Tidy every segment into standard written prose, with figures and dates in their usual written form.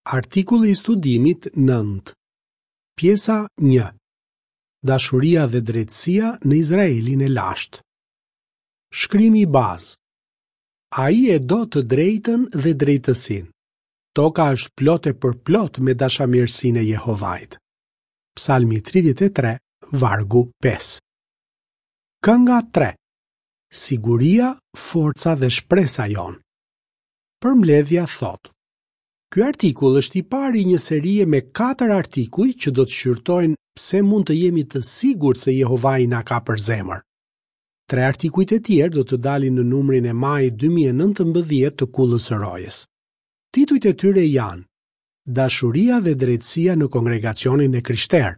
Artikulli i studimit 9. Pjesa 1. Dashuria dhe drejtësia në Izraelin e lashtë. Shkrimi bazë. Ai e do të drejtën dhe drejtësinë. Toka është plot e përplot me dashamirësinë e Jehovait. Psalmi 33, vargu 5. Kënga 3. Siguria, forca dhe shpresa jonë. Përmbledhja thotë: Ky artikull është i pari i një serie me katër artikuj që do të shqyrtojnë pse mund të jemi të sigurt se Jehovai na ka për zemër. Tre artikujt e tjerë do të dalin në numrin e majit 2019 të Kullës së Rojës. Titujt e tyre janë Dashuria dhe drejtësia në kongregacionin e krishterë,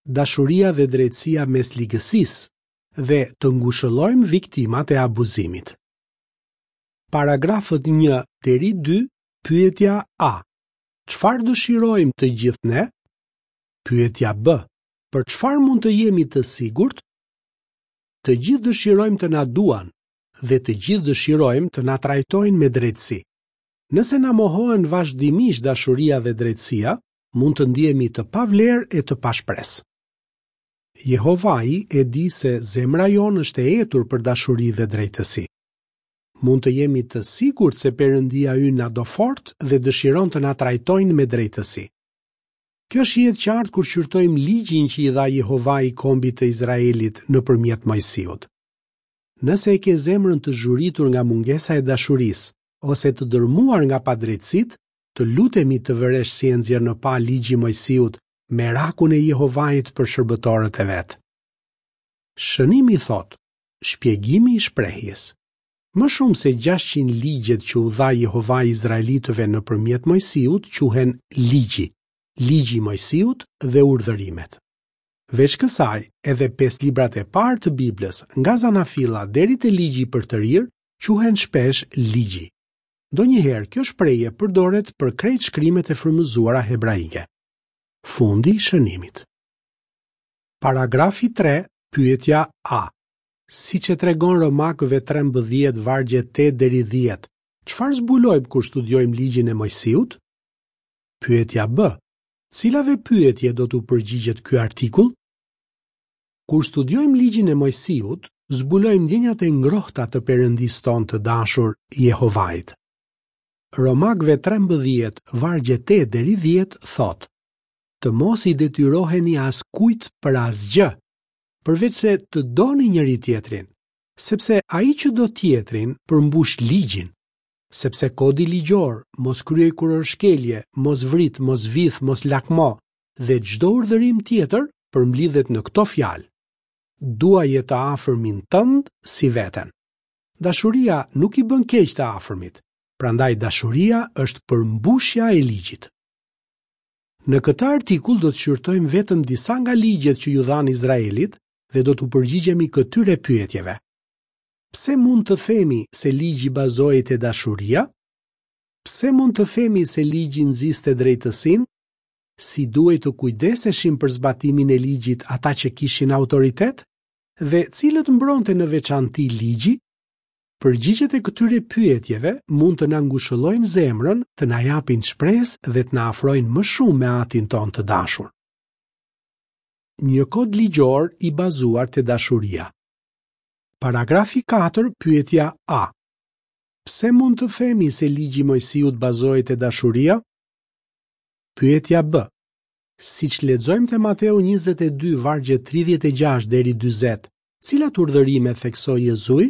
Dashuria dhe drejtësia mes ligësisë dhe Të ngushëllojmë viktimat e abuzimit. Paragrafët 1 deri 2, pyetja A. Çfarë dëshirojmë të gjithë ne? Pyetja B. Për çfarë mund të jemi të sigurt? Të gjithë dëshirojmë të na duan dhe të gjithë dëshirojmë të na trajtojnë me drejtësi. Nëse na mohohen vazhdimisht dashuria dhe drejtësia, mund të ndihemi të pavlerë e të pashpresë. Jehovai e di se zemra jonë është e etur për dashuri dhe drejtësi. Mund të jemi të sigurt se Perëndia ynë na do fort dhe dëshiron të na trajtojnë me drejtësi. Kjo shihet qartë kur shqyrtojmë ligjin që i dha Jehovai kombit të Izraelit nëpërmjet Moisiut. Nëse e ke zemrën të zhuritur nga mungesa e dashurisë ose të dërmuar nga padrejtësitë, të lutemi të vëresh si e nxjerr në pah ligji i Moisiut merakun e Jehovait për shërbëtorët e vet. Shënimi thotë, Shpjegimi i shprehjes. Më shumë se 600 ligjet që u dha Jehovai izraelitëve nëpërmjet Moisiut quhen Ligji, Ligji i Moisiut dhe Urdhërimet. Veç kësaj, edhe pesë librat e parë të Biblës, nga Zanafilla deri te Ligji i Përtërirë, quhen shpesh Ligji. Ndonjëherë kjo shprehje përdoret për krejt shkrimet e frymëzuara hebraike. Fundi i shënimit. Paragrafi 3, pyetja A. Siç e tregon Romakëve 13 vargjet 8 deri 10, çfarë zbulojmë kur studiojmë ligjin e Moisiut? Pyetja B. Cilave pyetje do t'u përgjigjet ky artikull? Kur studiojmë ligjin e Moisiut, zbulojmë ndjenjat e ngrohta të Perëndisë tonë të dashur, Jehovait. Romakëve 13, vargjet 8 deri 10 thotë: Të mos i detyroheni askujt për asgjë, përveçse të doni njëri-tjetrin, sepse ai që do tjetrin përmbush ligjin, sepse kodi ligjor, mos kryej kurorëshkelje, mos vrit, mos vidh, mos lakmo dhe çdo urdhërim tjetër përmblidhet në këto fjalë: Duaje të afërmin tënd si veten. Dashuria nuk i bën keq të afërmit, prandaj dashuria është përmbushja e ligjit. Në këtë artikull do të shqyrtojmë vetëm disa nga ligjet që iu dhanë Izraelit dhe do t'u përgjigjemi këtyre pyetjeve. Pse mund të themi se ligji bazohej te dashuria? Pse mund të themi se ligji nxiste drejtësinë? Si duhej të kujdeseshin për zbatimin e ligjit ata që kishin autoritet? Dhe cilët mbronte në veçanti ligji? Përgjigjet e këtyre pyetjeve mund të na ngushëllojnë zemrën, të na japin shpresë dhe të na afrojnë më shumë me Atin tonë të dashur. Një kod ligjor i bazuar te dashuria. Paragrafi 4, pyetja A. Pse mund të themi se ligji i Moisiut bazohej te dashuria? Pyetja B. Siç lexojmë te Mateu 22 vargjet 36 deri 40, Cilat urdhërime theksoi Jezui?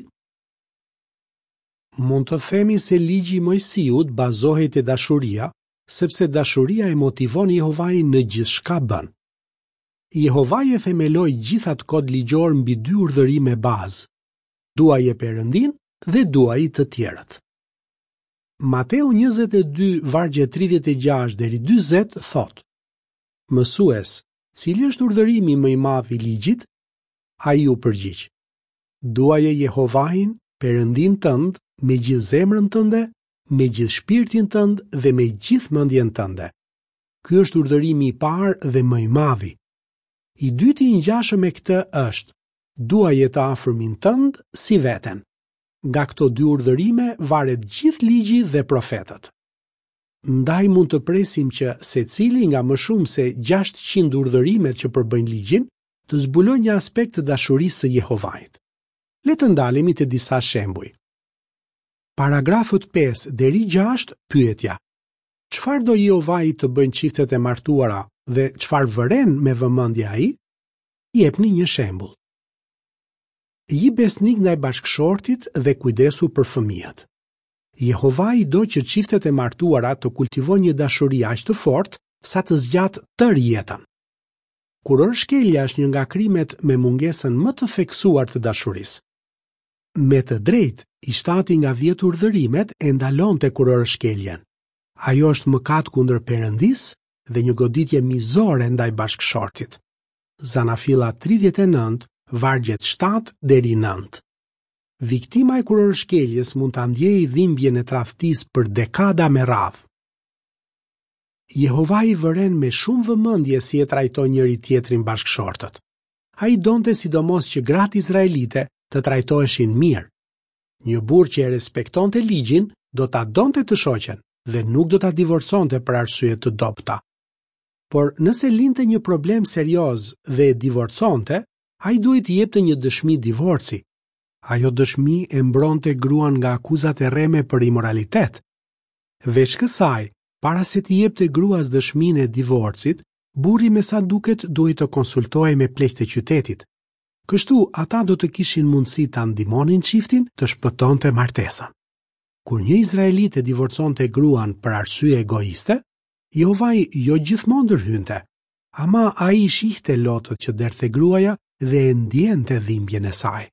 Mund të themi se ligji i Moisiut bazohej te dashuria, sepse dashuria e motivon Jehovain në gjithçka bën. Jehovai e themeloi gjithë atë kod ligjor mbi dy urdhërime bazë: duaje Perëndinë dhe duaji të tjerët. Mateu 22 vargjet 36 deri 40 thotë: Mësues, cili është urdhërimi më i madh i ligjit? Ai u përgjigj, Duaje Jehovain, Perëndinë tënd, me gjithë zemrën tënde, me gjithë shpirtin tënd dhe me gjithë mendjen tënde. Ky është urdhërimi i parë dhe më i madhi. I dyti i ngjashëm me këtë është, duaje të afërmin tënd si veten. Nga këto dy urdhërime varet gjithë ligji dhe profetët. Ndaj mund të presim që secili nga më shumë se 600 urdhërimet që përbëjnë ligjin, të zbulojë një aspekt të dashurisë së Jehovait. Le të ndalemi te disa shembuj. Paragrafët 5 deri 6 pyetja. Çfarë do Jehovai të bëjnë çiftet e martuara dhe çfarë vëren me vëmendje ai? Jepni një shembull. Ji besnik ndaj bashkëshortit dhe kujdesu për fëmijët. Jehovai do që çiftet e martuara të kultivojnë një dashuri aq të fortë sa të zgjatë tërë jetën. Kurorëshkelja është një nga krimet me mungesën më të theksuar të dashurisë. Me të drejtë, i shtati nga dhjetë urdhërimet e ndalonte kurorëshkeljen. Ajo është mëkat kundër Perëndisë dhe një goditje mizore ndaj bashkëshortit. Zanafilla 39, vargjet 7 deri 9. Viktima e kurorëshkeljes mund ta ndjejë dhimbjen e tradhtisë për dekada me radhë. Jehovai vëren me shumë vëmendje si e trajtojnë njëri-tjetrin bashkëshortët. Ai donte sidomos që gratë izraelite të trajtoheshin mirë. Një burrë që e respektonte ligjin do ta donte të shoqen dhe nuk do ta divorconte për arsye të dobëta. Por nëse linte një problem serioz dhe e divorconte, ai duhej të jepte një dëshmi divorci. Ajo dëshmi e mbronte gruan nga akuzat e rreme për imoralitet. Veç kësaj, para se t'i jepte gruas dëshminë e divorcit, burri me sa duket duhej të konsultohej me pleqtë e qytetit. Kështu, ata do të kishin mundësi ta ndihmonin çiftin të shpëtonte martesën. Kur një izraelit e divorconte gruan për arsye egoiste, Jehovai jo gjithmonë ndërhynte, ama ai i shihte lotët që derdhte gruaja dhe e ndiente dhimbjen e saj.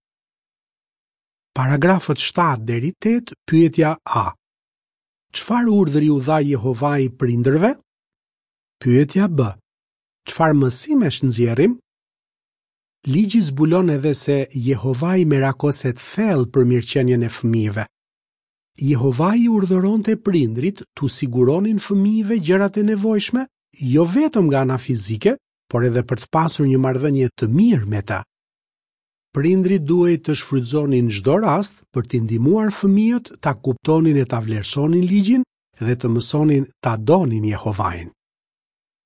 Paragrafët 7 deri 8, pyetja A. Çfarë urdhri u dha Jehovai prindërve? Pyetja B. Çfarë mësimesh nxjerrim? Ligji zbulon edhe se Jehovai merakoset thellë për mirëqenien e fëmijëve. Jehovai i urdhëronte prindërit t'u siguronin fëmijëve gjërat e nevojshme, jo vetëm nga ana fizike, por edhe për të pasur një marrëdhënie të mirë me ta. Prindërit duhej të shfrytëzonin çdo rast për t'i ndihmuar fëmijët ta kuptonin e ta vlerësonin ligjin dhe të mësonin ta donin Jehovain.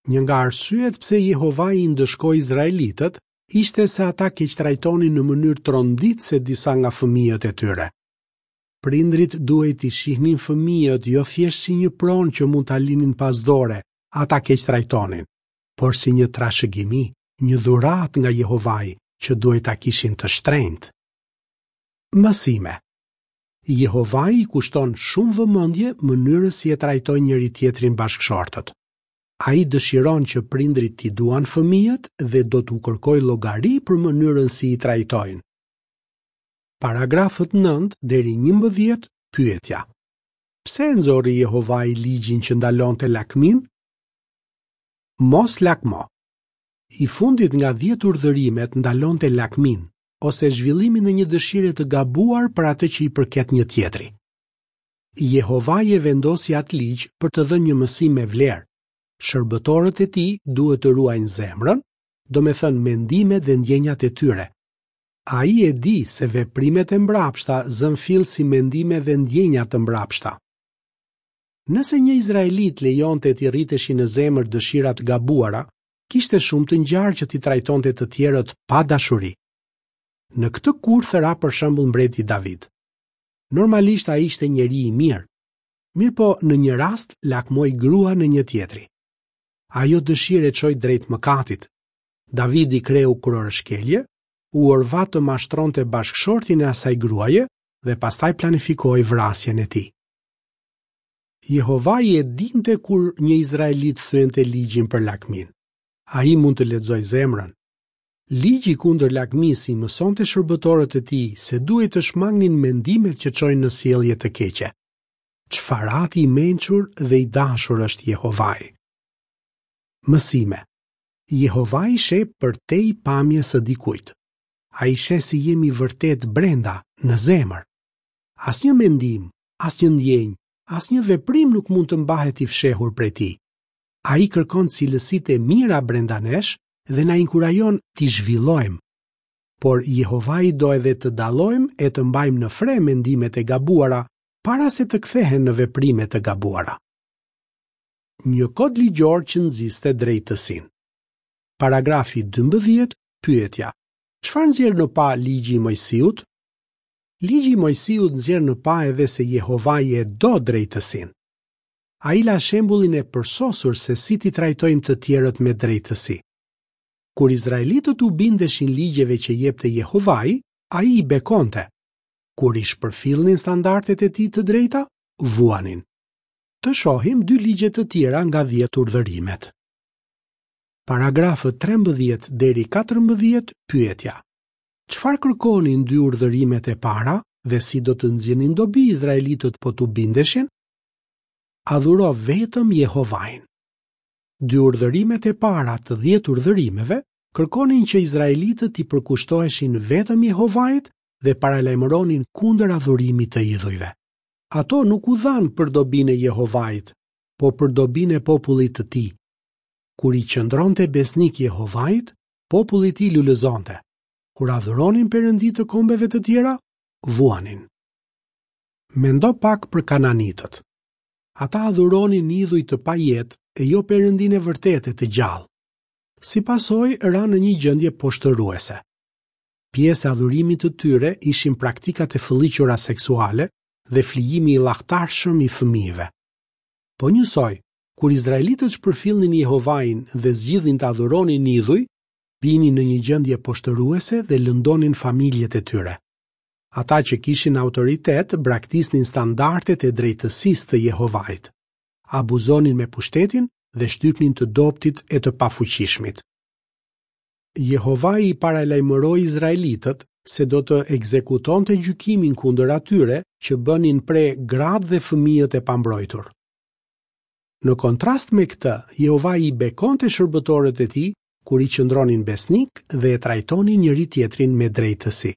Një nga arsyet pse Jehovai i ndëshkoi izraelitët ishte se ata keqtrajtonin në mënyrë tronditëse disa nga fëmijët e tyre. Prindërit duhej t'i shihnin fëmijët jo thjesht si një pronë që mund ta linin pas dore, a ta keqtrajtonin, por si një trashëgimi, një dhuratë nga Jehovai që duhej ta kishin të shtrenjtë. Mësime Jehovai i kushton shumë vëmendje mënyrës si e trajtojnë njëri-tjetrin bashkëshortët. Ai dëshiron që prindërit t'i duan fëmijët dhe do t'u kërkojë llogari për mënyrën si i trajtojnë. Paragrafët 9 deri 11 pyetja. Pse e nxori Jehovai ligjin që ndalonte lakminë? Mos lakmo. I fundit nga 10 urdhërimet ndalonte lakminë ose zhvillimin e një dëshire të gabuar për atë që i përket një tjetri. Jehovai e vendosi atë ligj për të dhënë një mësim me vlerë. Shërbëtorët e tij duhet të ruajnë zemrën, domethënë mendimet dhe ndjenjat e tyre. Ai e di se veprimet e mbrapshta zënë fill si mendime dhe ndjenja të mbrapshta. Nëse një izraelit lejonte t'i rriteshin në zemër dëshira të gabuara, kishte shumë të ngjarë që t'i trajtonte të tjerët pa dashuri. Në këtë kurth ra për shembull mbreti David. Normalisht ai ishte njeri i mirë. Mirëpo në një rast lakmoi gruan e një tjetri. Ajo dëshirë e çoi drejt mëkatit. Davidi kreu kurorëshkelje, u orvat të mashtronte bashkëshortin e asaj gruaje dhe pastaj planifikoi vrasjen e tij. Jehovai e dinte kur një izraelit thyente ligjin për lakminë. Ai mund të lexojë zemrën. Ligji kundër lakmisë i mësonte shërbëtorët e tij se duhej të shmangnin mendimet që çojnë në sjellje të keqe. Çfarë ati i mençur dhe i dashur është Jehovai. Mësime. Jehovai sheh përtej pamjes së dikujt. Ai sheh si jemi vërtet brenda, në zemër. Asnjë mendim, asnjë ndjenjë, asnjë veprim nuk mund të mbahet i fshehur prej tij. Ai kërkon cilësitë e mira brenda nesh dhe na inkurajon t'i zhvillojmë. Por Jehovai do edhe të dallojmë e të mbajmë në fre mendimet e gabuara para se të kthehen në veprime të gabuara. Një kod ligjor që nxiste drejtësinë. Paragrafi 12, pyetja. Çfarë nxjerr në pah ligji i Moisiut? Ligji i Moisiut nxjerr në pah edhe se Jehovai e do drejtësinë. Ai la shembullin e përsosur se si t'i trajtojmë të tjerët me drejtësi. Kur izraelitët u bindeshin ligjeve që jepte Jehovai, ai i bekonte. Kur i shpërfillnin standardet e tij të drejta, vuanin. Të shohim dy ligje të tjera nga dhjetë urdhërimet. Paragrafët 13 deri 14, pyetja. Çfarë kërkonin dy urdhërimet e para dhe si do të nxirrnin dobi izraelitët po t'u bindeshin? Adhuro vetëm Jehovain. Dy urdhërimet e para të dhjetë urdhërimeve kërkonin që izraelitët t'i përkushtoheshin vetëm Jehovait dhe paralajmëronin kundër adhurimit të idhujve. Ato nuk u dhanë për dobinë e Jehovait, por për dobinë e popullit të tij. Kur i qëndronte besnik Jehovait, populli i tij lulëzonte. Kur adhuronin perëndi të kombeve të tjera, vuanin. Mendo pak për kananitët. Ata adhuronin idhuj të pajetë e jo Perëndinë e vërtetë e të gjallë. Si pasojë, ranë në një gjendje poshtëruese. Pjesë e adhurimit të tyre ishin praktikat e fëlliqura seksuale dhe flijimi i llahtarshëm i fëmijëve. Po njësoj, kur izraelitët shpërfillnin Jehovain dhe zgjidhnin të adhuronin idhuj, binin në një gjendje poshtëruese dhe lëndonin familjet e tyre. Ata që kishin autoritet braktisnin standardet e drejtësisë të Jehovait, abuzonin me pushtetin dhe shtypnin të dobëtit e të pafuqishmit. Jehovai i paralajmëroi izraelitët se do të ekzekutonte gjykimin kundër atyre që bënin pre gratë dhe fëmijët e pambrojtur. Në kontrast me këtë, Jehovai i bekonte shërbëtorët e tij kur i qëndronin besnikë dhe e trajtonin njëri-tjetrin me drejtësi.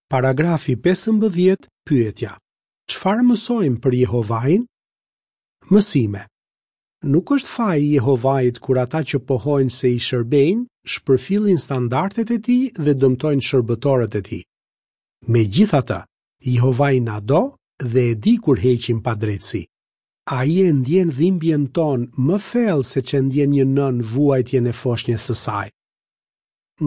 Paragrafi 15, pyetja. Çfarë mësojmë për Jehovain? Mësime. Nuk është faji i Jehovait kur ata që pohojnë se i shërbejnë, shpërfillin standardet e tij dhe dëmtojnë shërbëtorët e tij. Megjithatë, Jehovai na do dhe e di kur heqim padrejtësi. Ai e ndjen dhimbjen tonë më thellë se ç'e ndjen një nënë vuajtjen e foshnjës së saj.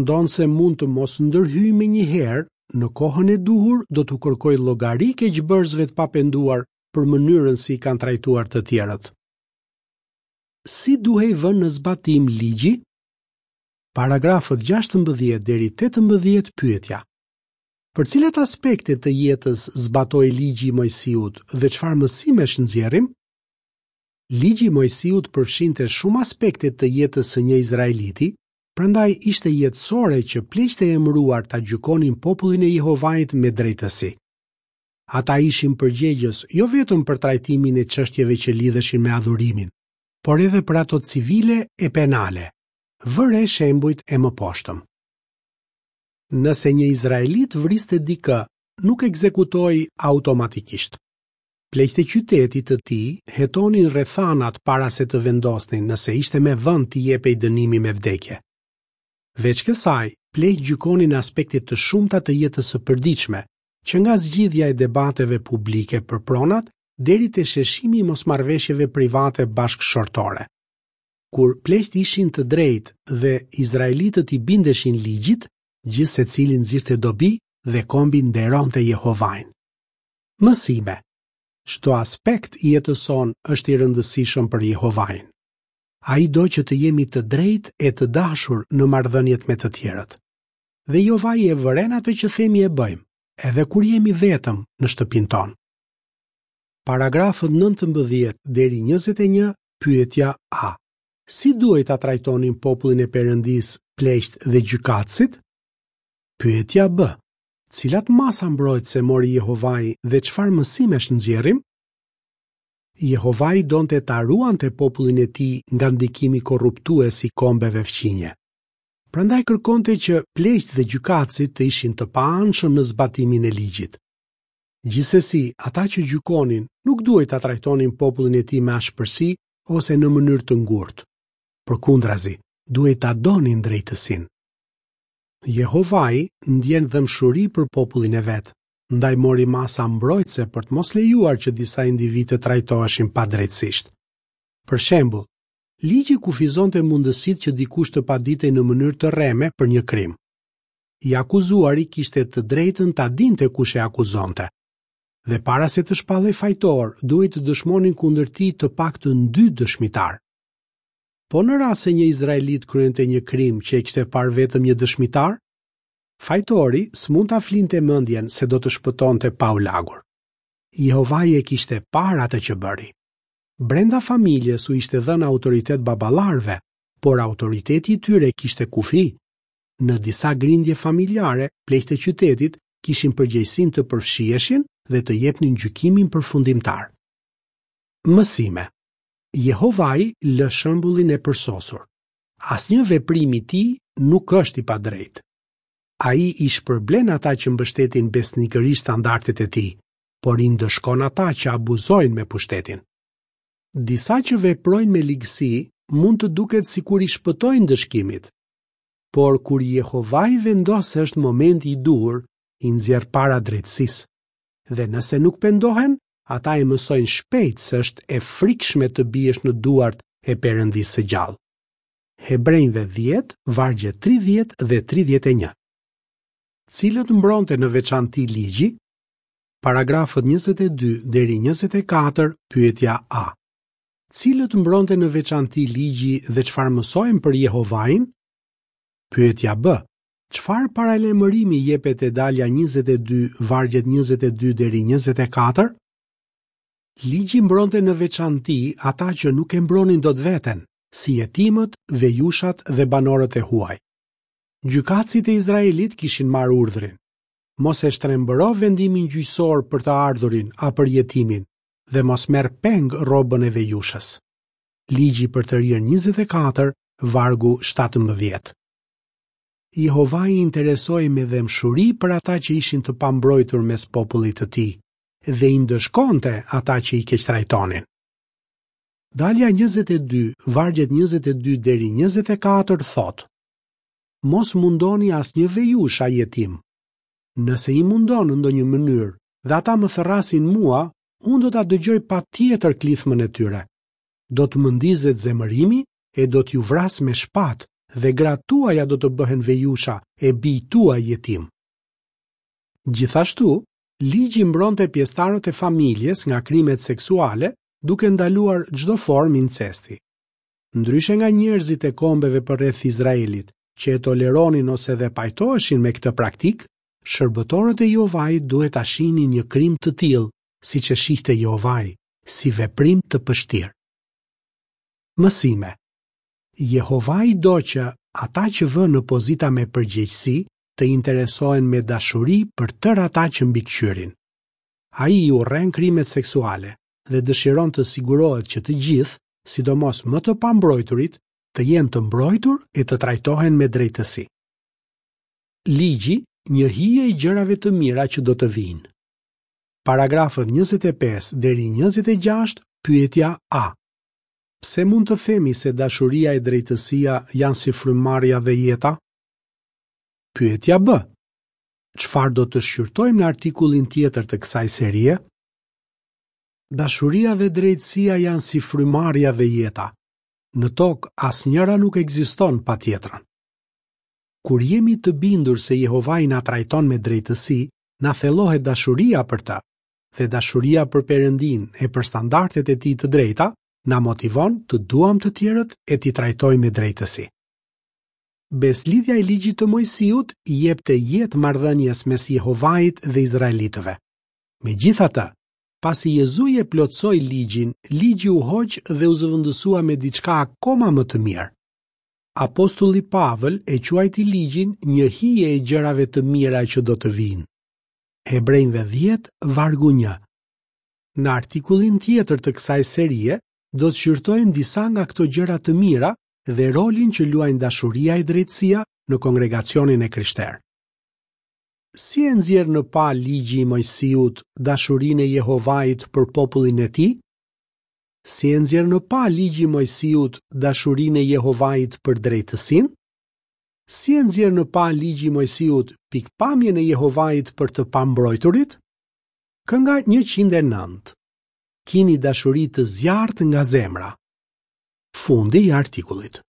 Ndonëse mund të mos ndërhyjë menjëherë, në kohën e duhur do t'u kërkojë llogari keqbërësve të papenduar për mënyrën si i kanë trajtuar të tjerët. Si duhej vënë në zbatim ligji? Paragrafët 16 deri 18 pyetja. Për cilat aspekte të jetës zbatohej ligji i Moisiut dhe çfarë mësimesh nxjerrim? Ligji i Moisiut përfshinte shumë aspekte të jetës së një izraeliti, Prandaj ishte jetësore që pleqtë e emëruar ta gjykonin popullin e Jehovait me drejtësi. Ata ishin përgjegjës jo vetëm për trajtimin e çështjeve që lidheshin me adhurimin, por edhe për ato civile e penale. Vë re shembujt e mëposhtëm. Nëse një izraelit vriste dikë, nuk ekzekutohej automatikisht. Pleqtë e qytetit të tij hetonin rrethanat para se të vendosnin nëse ishte me vend t'i jepej dënimi me vdekje. Veç kësaj, pleqtë gjykonin aspekte të shumta të jetës së përditshme, që nga zgjidhja e debateve publike për pronat deri te sheshimi i mosmarrëveshjeve private bashkëshortore. Kur pleqtë ishin të drejtë dhe izraelitët i bindeshin ligjit, gjithsecili nxirrte dobi dhe kombi nderonte Jehovain. Mësime. Çdo aspekt i jetës sonë është i rëndësishëm për Jehovain. Ai do që të jemi të drejtë e të dashur në marrëdhëniet me të tjerët. Dhe Jehovai e vëren atë që themi e bëjmë, edhe kur jemi vetëm në shtëpinë tonë. Paragrafët 19 deri 21, pyetja A. Si duhej ta trajtonin popullin e Perëndisë pleqtë dhe gjykatësit? Pyetja B. Cilat masa mbrojtëse mori Jehovai dhe çfarë mësimesh nxjerrim? Jehovai donte ta ruante popullin e tij nga ndikimi korruptues i kombeve fqinje. Prandaj kërkonte që pleqtë dhe gjykatësit të ishin të paanshëm në zbatimin e ligjit. Gjithsesi, ata që gjykonin nuk duhej ta trajtonin popullin e tij me ashpërsi ose në mënyrë të ngurtë. Përkundrazi, duhej ta donin drejtësinë. Jehovai ndjen dhembshuri për popullin e vet, ndaj mori masa mbrojtëse për të mos lejuar që disa individë të trajtoheshin padrejtësisht. Për shembull, ligji kufizonte mundësitë që dikush të paditej në mënyrë të rreme për një krim. I akuzuari kishte të drejtën ta dinte kush e akuzonte. Dhe para se të shpallej fajtor, duhej të dëshmonin kundër tij të paktën dy dëshmitarë. Po në rast se një izraelit kryente një krim që e kishte parë vetëm një dëshmitar, fajtori s'mund ta flinte mendjen se do të shpëtonte pa u lagur. Jehovai e kishte parë atë që bëri. Brenda familjes u ishte dhënë autoritet baballarëve, por autoriteti i tyre kishte kufi. Në disa grindje familjare, pleqtë e qytetit kishin përgjegjësinë të përfshiheshin dhe të jepnin gjykimin përfundimtar. Mësime. Jehovai lë shembullin e përsosur. Asnjë veprim i tij nuk është i padrejtë. Ai i shpërblen ata që mbështetin besnikërisht standardet e tij, por i ndëshkon ata që abuzojnë me pushtetin. Disa që veprojnë me ligësi mund të duket sikur i shpëtojnë ndëshkimit. Por kur Jehovai vendos se është momenti i duhur, i nxjerr para drejtësisë. Dhe nëse nuk pendohen, ata e mësojnë shpejt se është e frikshme të biesh në duart e Perëndisë së gjallë. Hebrenjve 10, vargjet 30 dhe 31. Cilët mbronte në veçanti ligji? Paragrafët 22 deri 24, pyetja A. Cilët mbronte në veçanti ligji dhe çfarë mësojmë për Jehovain? Pyetja B. Çfarë paralajmërimi jepet te dalja 22, vargjet 22 deri 24? Ligji mbronte në veçanti ata që nuk e mbronin dot veten, si jetimët, vejushat dhe banorët e huaj. Gjykatësit e Izraelit kishin marrë urdhrin: Mos e shtrembëro vendimin gjyqësor për të ardhurin a për jetimin dhe mos merr peng rrobën e vejushës. Ligji i përtërirë 24, vargu 17. Jehovai interesohej me dhembshuri për ata që ishin të pambrojtur mes popullit të tij dhe i ndëshkonte ata që i keqtrajtonin. Dalja 22, vargjet 22 deri 24 thotë: Mos mundoni asnjë vejushë a jetim. Nëse i mundon në ndonjë mënyrë dhe ata më thërrasin mua, unë do ta dëgjoj patjetër klithmën e tyre. Do të më ndizet zemërimi e do t'ju vras me shpatë dhe gratë tuaja do të bëhen vejusha e bijtë tuaj jetimë. Gjithashtu, ligji mbronte pjesëtarët e familjes nga krimet seksuale duke ndaluar çdo formë incesti. Ndryshe nga njerëzit e kombeve përreth Izraelit, që e toleronin ose dhe pajtoheshin me këtë praktikë, shërbëtorët e Jehovait duhet ta shihnin një krim të tillë, siç e shihte Jehovai, si veprim të pështirë. Mësime. Jehovai do që ata që vë në pozita me përgjegjësi të interesohen me dashuri për tërë ata që mbikëqyrin. Ai i urren krimet seksuale dhe dëshiron të sigurohet që të gjithë, sidomos më të pambrojturit, të jenë të mbrojtur e të trajtohen me drejtësi. Ligji, një hije e gjërave të mira që do të vijnë. Paragrafët 25 deri 26, pyetja A. Pse mund të themi se dashuria e drejtësia janë si frymëmarrja dhe jeta? Pyetja B. Çfarë do të shqyrtojmë në artikullin tjetër të kësaj serie? Dashuria dhe drejtësia janë si frymëmarrja dhe jeta. Në tokë asnjëra nuk ekziston pa tjetrën. Kur jemi të bindur se Jehovai na trajton me drejtësi, na thellohet dashuria për të, dhe dashuria për Perëndinë e për standardet e tij të drejta na motivon të duam të tjerët e t'i trajtojmë me drejtësi. Besëlidhja e ligjit të Moisiut i jepte jetë marrëdhënies mes Jehovait dhe izraelitëve. Megjithatë, pasi Jezui e plotësoi ligjin, ligji u hoq dhe u zëvendësua me diçka akoma më të mirë. Apostulli Pavël e quajti ligjin një hije e gjërave të mira që do të vijnë. Hebrenjve 10, vargu 1. Në artikullin tjetër të kësaj serie do të shqyrtojmë disa nga këto gjëra të mira dhe rolin që luajnë dashuria e drejtësia në kongregacionin e krishterë. Si e nxjerr në pah ligji i Moisiut dashurinë e Jehovait për popullin e tij? Si e nxjerr në pah ligji i Moisiut dashurinë e Jehovait për drejtësinë? Si e nxjerr në pah ligji i Moisiut pikëpamjen e Jehovait për të pambrojturit? Kënga 109. Kini dashuri të zjarrtë nga zemra. Fundi i artikullit.